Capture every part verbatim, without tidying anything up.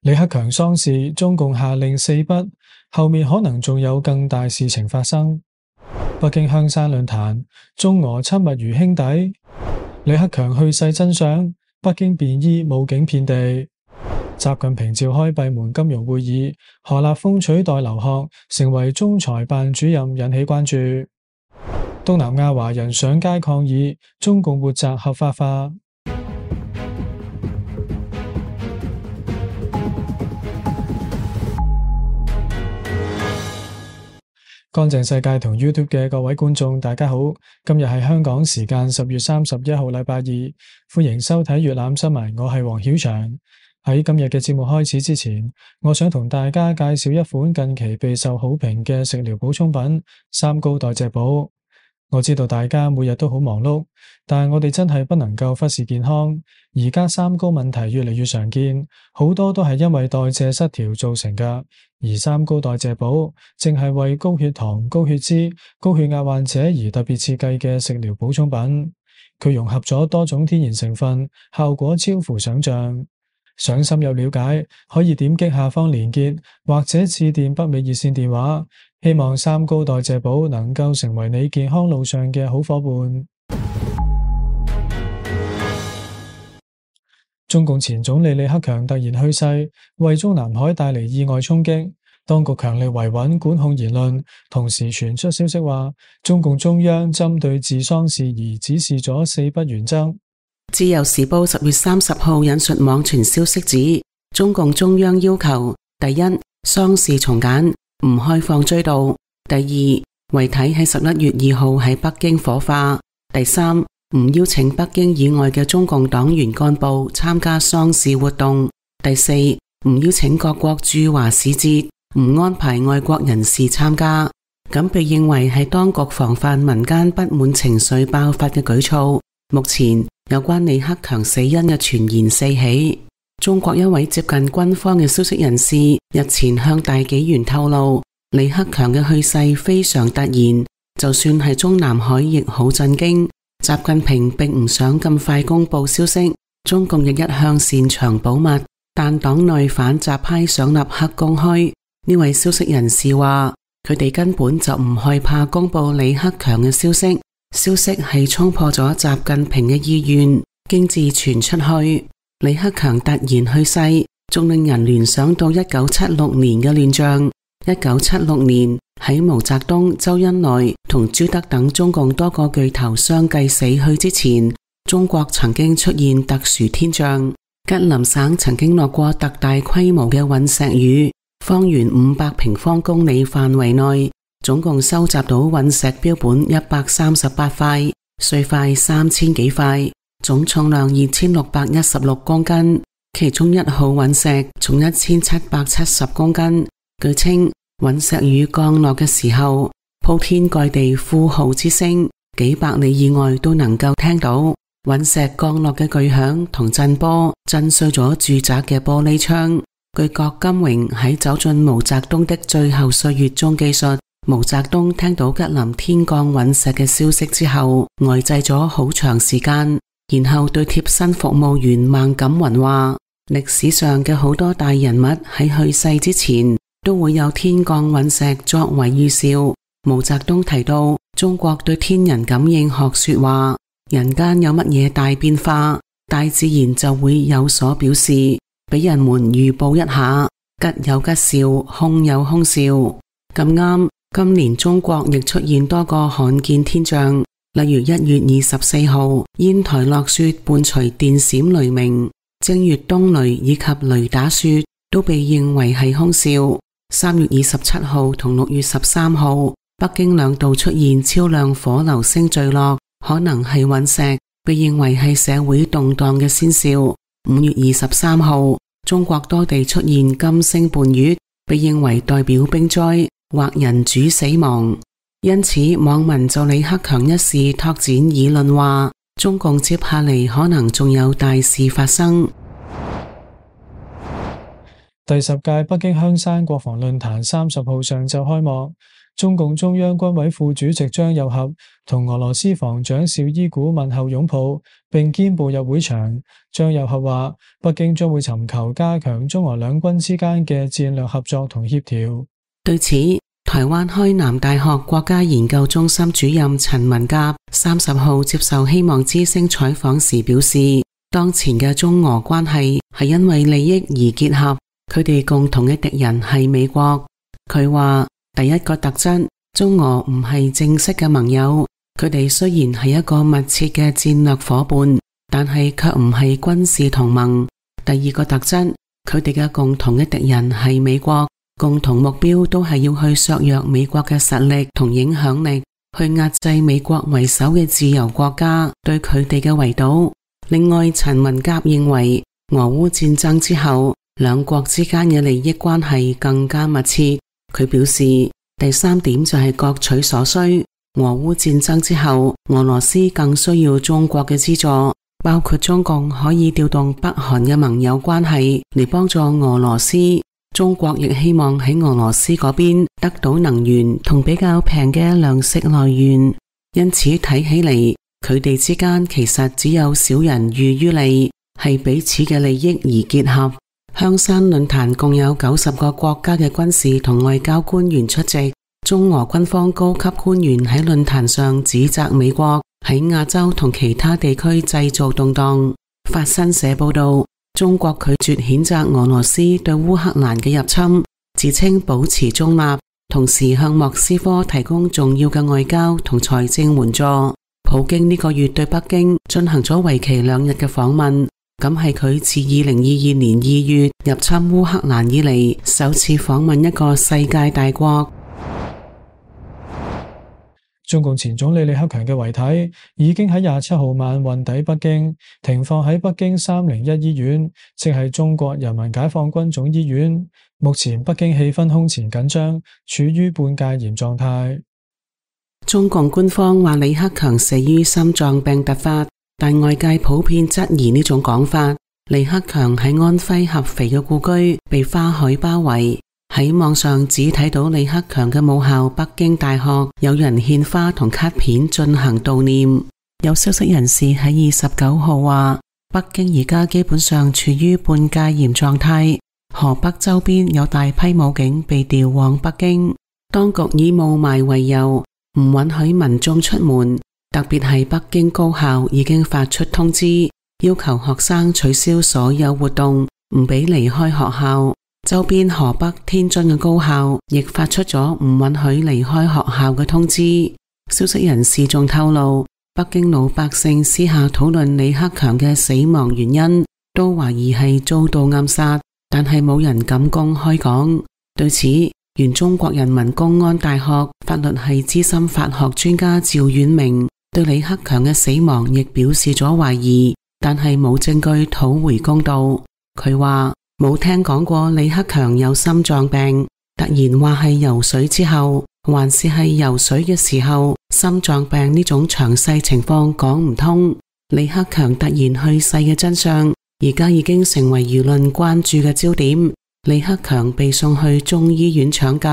李克強喪事，中共下令四不，後面可能仲有更大事情發生。北京香山論壇，中俄親密如兄弟。李克強去世真相，北京便衣武警遍地。習近平召開閉門金融會議，何立峰取代劉鶴成為中財辦主任，引起關注。東南亞華人上街抗議，中共活摘合法化。乾淨世界同 YouTube 嘅各位觀眾，大家好，今日係香港時間十月三十一號禮拜二，歡迎收睇粵覽新聞，我係黃曉翔。喺今日嘅節目開始之前，我想同大家介紹一款近期備受好評嘅食療補充品——三高代謝寶。我知道大家每日都好忙碌，但係我哋真係不能夠忽視健康。而家三高問題越嚟越常見，好多都係因為代謝失調造成㗎。而三高代謝寶正係為高血糖、高血脂、高血壓患者而特別設計嘅食療補充品。佢融合咗多種天然成分，效果超乎想象。想深入了解，可以點擊下方連結，或者致電北美熱線電話。希望三高代謝寶能夠成為你健康路上嘅好夥伴。中共前總理李克強突然去世，為中南海帶嚟意外衝擊。當局強力維穩管控言論，同時傳出消息話，中共中央針對治喪事宜指示咗四不原則。自由時報十月三十號引述網傳消息指，中共中央要求：第一，喪事從簡，唔開放追悼；第二，遺體喺十一月二號喺北京火化；第三，唔邀請北京以外嘅中共黨員幹部參加喪事活動；第四，唔邀請各國駐華使節，唔安排外國人士參加。咁被認為係當局防範民間不滿情緒爆發嘅舉措。目前有關李克強死因嘅傳言四起。中國一位接近軍方嘅消息人士日前向大紀元透露，李克強嘅去世非常突然，就算係中南海亦好震驚。習近平並唔想咁快公布消息，中共亦一向擅長保密，但黨內反習派想立刻公開。呢位消息人士話，佢哋根本就唔害怕公布李克強嘅消息，消息係衝破咗習近平嘅意願，經自傳出去。李克強突然去世，仲令人聯想到一九七六年嘅亂象。一九七六年喺毛澤東、周恩來同朱德等中共多個巨頭相繼死去之前，中國曾經出現特殊天象。吉林省曾經落過特大規模嘅隕石雨，方圓五百平方公里範圍內，總共收集到隕石標本一百三十八塊，碎塊三千幾塊，總重量二千六百一十六公斤。其中一號隕石重一千七百七十公斤。據稱，隕石雨降落嘅時候，鋪天蓋地呼號之聲，幾百里以外都能夠聽到。隕石降落嘅巨響同震波，震碎咗住宅嘅玻璃窗。據郭金榮喺走進毛澤東的最後歲月中記述，毛澤東聽到吉林天降隕石嘅消息之後，呆滯咗好長時間，然後對貼身服務員孟錦雲話：歷史上嘅好多大人物喺去世之前，都會有天降隕石作為預兆。毛澤東提到，中國對天人感應學說話，人間有乜嘢大變化，大自然就會有所表示，俾人們預報一下，吉有吉兆，凶有凶兆。咁啱，今年中國亦出現多個罕見天象，例如一月二十四號煙台落雪伴隨電閃雷鳴，正月冬雷以及雷打雪都被認為係凶兆。三月二十七號同六月十三號，北京兩度出現超量火流星墜落，可能係隕石，被認為係社會動盪嘅先兆。五月二十三號，中國多地出現金星伴月，被認為代表冰災或人主死亡。因此，網民就李克強一事拓展議論話，中共接下嚟可能仲有大事發生。第十屆北京香山國防論壇三十號上晝開幕，中共中央軍委副主席張又俠同俄羅斯防長紹伊古問候擁抱，並肩步入會場。張又俠話：北京將會尋求加強中俄兩軍之間嘅戰略合作同協調。對此，台灣開南大學國家研究中心主任陳文甲三十號接受希望之聲採訪時表示，當前嘅中俄關係係因為利益而結合，佢哋共同嘅敵人係美國。佢話第一個特質，中俄唔係正式嘅盟友，佢哋雖然係一個密切嘅戰略夥伴，但係卻唔係軍事同盟。第二個特質，佢哋嘅共同嘅敵人係美國，共同目標都係要去削弱美國嘅實力同影響力，去壓制美國為首嘅自由國家對佢哋嘅圍堵。另外，陳文甲認為俄烏戰爭之後，兩國之間嘅利益關係更加密切。佢表示，第三點就係各取所需。俄烏戰爭之後，俄羅斯更需要中國嘅資助，包括中共可以調動北韓嘅盟友關係嚟幫助俄羅斯。中國亦希望喺俄羅斯嗰邊得到能源同比較平嘅糧食來源。因此睇起嚟，佢哋之間其實只有小人喻於利，係彼此嘅利益而結合。香山論壇共有九十個國家嘅軍事同外交官員出席。中俄軍方高級官員喺論壇上指責美國喺亞洲同其他地區製造動盪。法新社報道，中國拒絕譴責俄羅斯對烏克蘭嘅入侵，自稱保持中立，同時向莫斯科提供重要嘅外交同財政援助。普京呢個月對北京進行咗為期兩日嘅訪問，咁係佢自二零二二年二月入侵烏克蘭以嚟首次訪問一個世界大國。中共前總理李克強嘅遺體已經喺廿七號晚運抵北京，停放喺北京三零一醫院，即係中國人民解放軍總醫院。目前北京氣氛空前緊張，處於半戒嚴狀態。中共官方話李克強死於心臟病突發，但外界普遍質疑呢種講法。李克強喺安徽合肥嘅故居被花海包圍，喺網上只睇到李克強嘅母校北京大學有人獻花同卡片進行悼念。有消息人士喺二十九號話，北京而家基本上處於半戒嚴狀態，河北周邊有大批武警被調往北京，當局以霧霾為由，唔允許民眾出門，特別係北京高校已經發出通知，要求學生取消所有活動，唔俾離開學校。周邊河北、天津嘅高校亦發出咗唔允許離開學校嘅通知。消息人士仲透露，北京老百姓私下討論李克強嘅死亡原因，都懷疑係遭到暗殺，但係冇人敢公開講。對此，原中國人民公安大學法律系資深法學專家趙遠明對李克強嘅死亡亦表示咗懷疑，但係冇證據討回公道。佢話冇聽講過李克強有心臟病，突然話係游水之後，還是係游水嘅時候，心臟病呢種詳細情況講唔通。李克強突然去世嘅真相，而家已經成為輿論關注嘅焦點。李克強被送去中醫院搶救，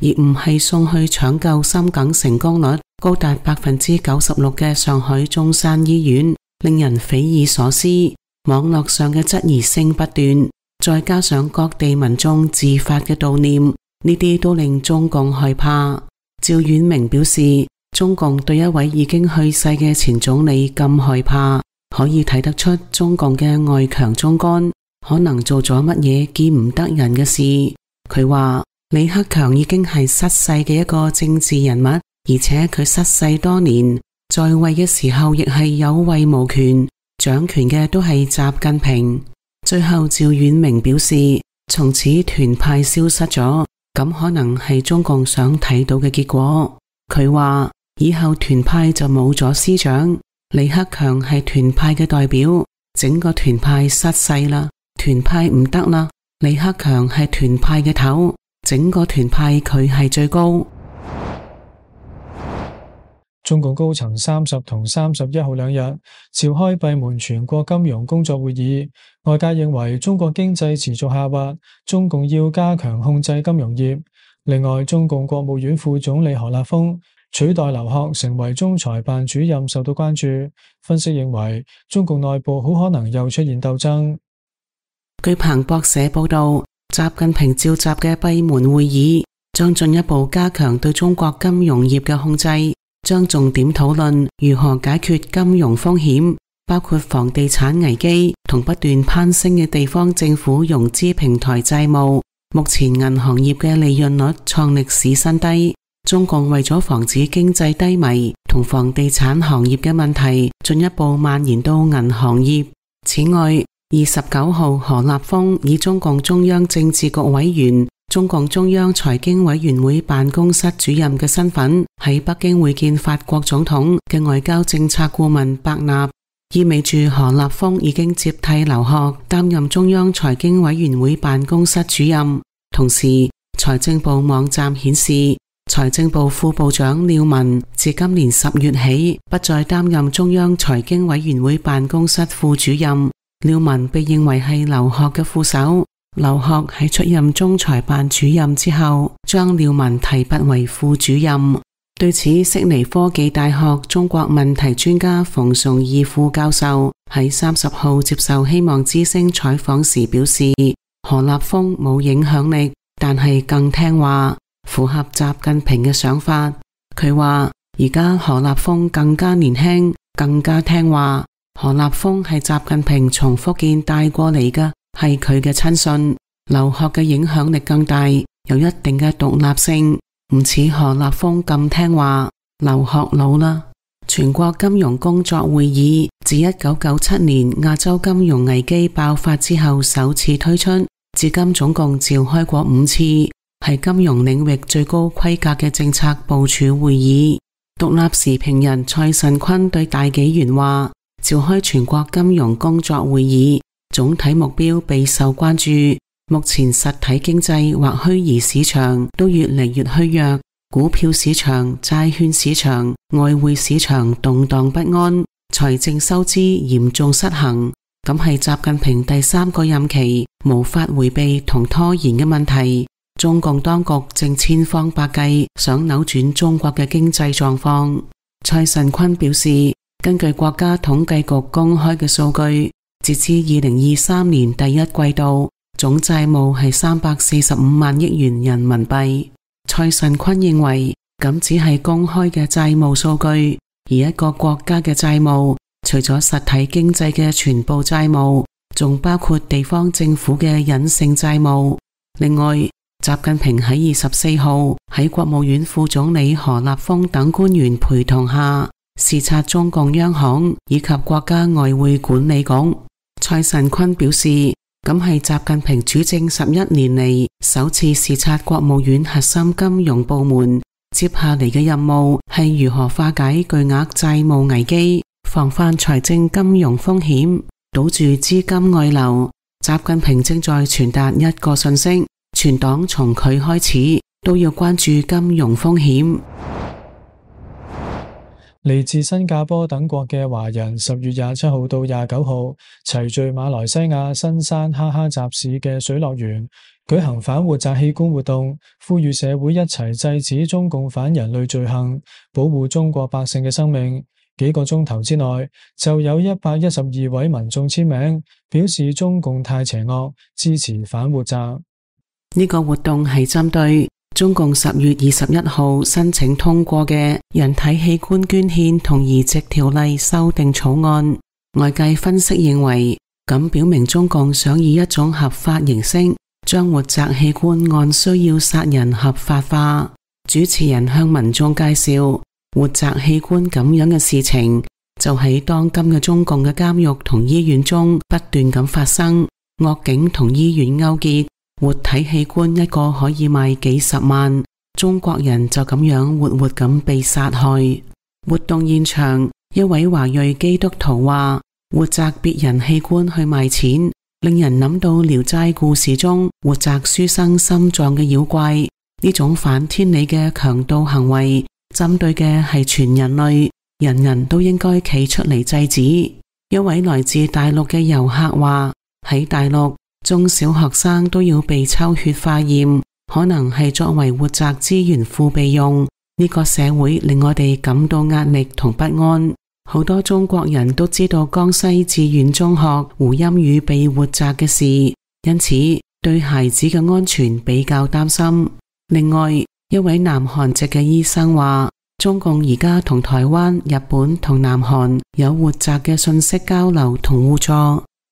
而唔係送去搶救心梗成功率高達百分之九十六嘅上海中山醫院，令人匪夷所思。網絡上嘅質疑聲不斷，再加上各地民眾自發嘅悼念，呢啲都令中共害怕。趙遠明表示，中共對一位已經去世嘅前總理咁害怕，可以睇得出中共嘅外強中乾可能做咗乜嘢見唔得人嘅事。佢話李克強已經係失勢嘅一個政治人物，而且佢失勢多年，在位嘅時候亦係有位無權，掌權嘅都係習近平。最後趙遠明表示，從此團派消失咗，咁可能係中共想睇到嘅結果。佢話以後團派就冇咗師長，李克強係團派嘅代表，整個團派失勢啦，團派唔得啦，李克強係團派嘅頭，整個團派佢係最高。中共高層三十同三十一號兩日召開閉門全國金融工作會議，外界認為中國經濟持續下滑，中共要加強控制金融業。另外，中共國務院副總理何立峰取代劉鶴成為中財辦主任受到關注。分析認為，中共內部好可能又出現鬥爭。據彭博社報道，習近平召集嘅閉門會議將進一步加強對中國金融業嘅控制，將重點討論如何解決金融風險，包括房地產危機同不斷攀升嘅地方政府融資平台債務。目前銀行業嘅利潤率創歷史新低，中共為咗防止經濟低迷同房地產行業嘅問題進一步蔓延到銀行業。此外，二十九號何立峰以中共中央政治局委員、中共中央財經委員會辦公室主任嘅身份喺北京會見法國總統嘅外交政策顧問伯納，意味住何立峰已經接替劉鶴擔任中央財經委員會辦公室主任。同時，財政部網站顯示，財政部副部長廖文自今年十月起不再擔任中央財經委員會辦公室副主任。廖文被認為係劉鶴嘅副手，劉鶴喺出任中財辦主任之後，將廖文提拔為副主任。對此，悉尼科技大學中國問題專家馮崇義副教授喺三十號接受希望之聲採訪時表示，何立峰冇影響力，但係更聽話，符合習近平嘅想法。佢話而家何立峰更加年輕，更加聽話。何立峰係習近平從福建帶過嚟嘅，係佢嘅親信。劉鶴嘅影響力更大，有一定嘅獨立性，唔似何立峰咁聽話。劉鶴老啦。全國金融工作會議自一九九七年亞洲金融危機爆發之後首次推出，至今總共召開過五次，係金融領域最高規格嘅政策部署會議。獨立時評人蔡慎坤對大紀元話，召開全國金融工作會議，總體目標備受關注。目前實體經濟或虛擬市場都越嚟越虛弱，股票市場、債券市場、外匯市場動盪不安，財政收支嚴重失衡。咁係習近平第三個任期無法回避同拖延嘅問題。中共當局正千方百計想扭轉中國嘅經濟狀況。蔡慎坤表示，根據國家統計局公開嘅數據，截至二零二三年第一季度，總債務係三百四十五萬億元人民幣。蔡慎坤認為，咁只係公開嘅債務數據，而一個國家嘅債務，除咗實體經濟嘅全部債務，仲包括地方政府嘅隱性債務。另外，習近平喺二十四號喺國務院副總理何立峰等官員陪同下，視察中共央行以及國家外匯管理局。蔡慎坤表示，咁係習近平主政十一年嚟首次視察國務院核心金融部門。接下嚟嘅任務係如何化解巨額債務危機，防範財政金融風險，堵住資金外流。習近平正在傳達一個信息，全黨從佢開始都要關注金融風險。嚟自新加坡等國嘅華人十月廿七號到廿九號齊聚馬來西亞新山哈哈集市嘅水樂園，舉行反活摘器官活動，呼籲社會一齊制止中共反人類罪行，保護中國百姓嘅生命。幾個鐘頭之內就有一百一十二位民眾簽名，表示中共太邪惡，支持反活摘。呢個活動係針對中共十月二十一號申請通過嘅人體器官捐獻同移植條例修訂草案。外界分析認為，咁表明中共想以一種合法形式將活摘器官按需要殺人合法化。主持人向民眾介紹，活摘器官咁樣嘅事情就喺當今嘅中共嘅監獄同醫院中不斷咁發生，惡警同醫院勾結，活體器官一個可以賣幾十萬，中國人就咁樣活活咁被殺害。活動現場，一位華裔基督徒話，活摘別人器官去賣錢，令人諗到聊齋故事中活摘書生心臟嘅妖怪。呢種反天理嘅強盜行為，針對嘅係全人類，人人都應該企出嚟制止。一位來自大陸嘅遊客話，喺大陸，中小學生都要被抽血化驗，可能係作為活摘資源庫備用。呢個社會令我哋感到壓力同不安。好多中國人都知道江西志願中學胡鑫宇被活摘嘅事，因此對孩子嘅安全比較擔心。另外，一位南韓籍嘅醫生話，中共而家同台灣、日本同南韓有活摘嘅信息交流同互助。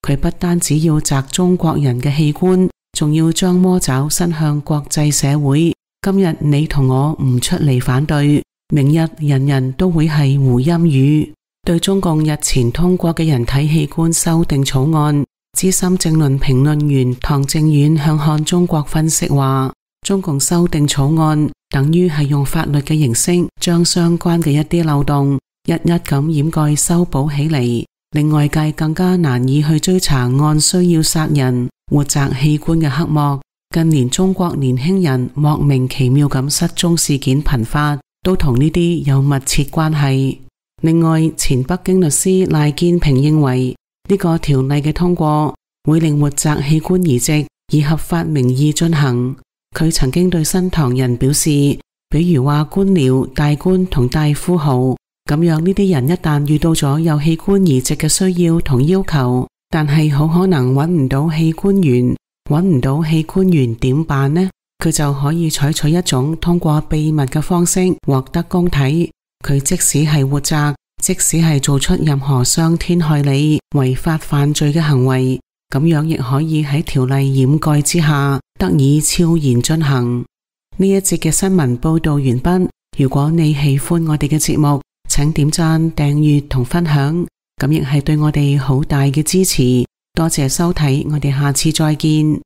佢不單只要摘中國人嘅器官，仲要將魔爪伸向國際社會。今日你同我唔出嚟反對，明日人人都會係胡鑫宇。對中共日前通過嘅人體器官修訂草案，資深政論評論員唐正遠向看中國分析話，中共修訂草案等於係用法律嘅形式將相關嘅一啲漏洞一一咁掩蓋修補起嚟，令外界更加難以去追查按需要殺人活摘器官嘅黑幕。近年中國年輕人莫名其妙咁失蹤事件頻發，都同呢啲有密切關係。另外，前北京律師賴建平認為，呢個條例嘅通過會令活摘器官移植以合法名義進行。佢曾經對新唐人表示，比如話官僚、大官同大富豪咁樣，呢啲人一旦遇到咗有器官移植嘅需要同要求，但係好可能揾唔到器官源，揾唔到器官源點辦呢？佢就可以採取一種通過秘密嘅方式獲得公體。佢即使係活摘，即使係做出任何傷天害理、違法犯罪嘅行為，咁樣亦可以喺條例掩蓋之下得以悄然進行。呢一節嘅新聞報道完畢。如果你喜歡我哋嘅節目，請點讚、訂閱同分享，咁亦係對我哋好大嘅支持。多謝收睇，我哋下次再見。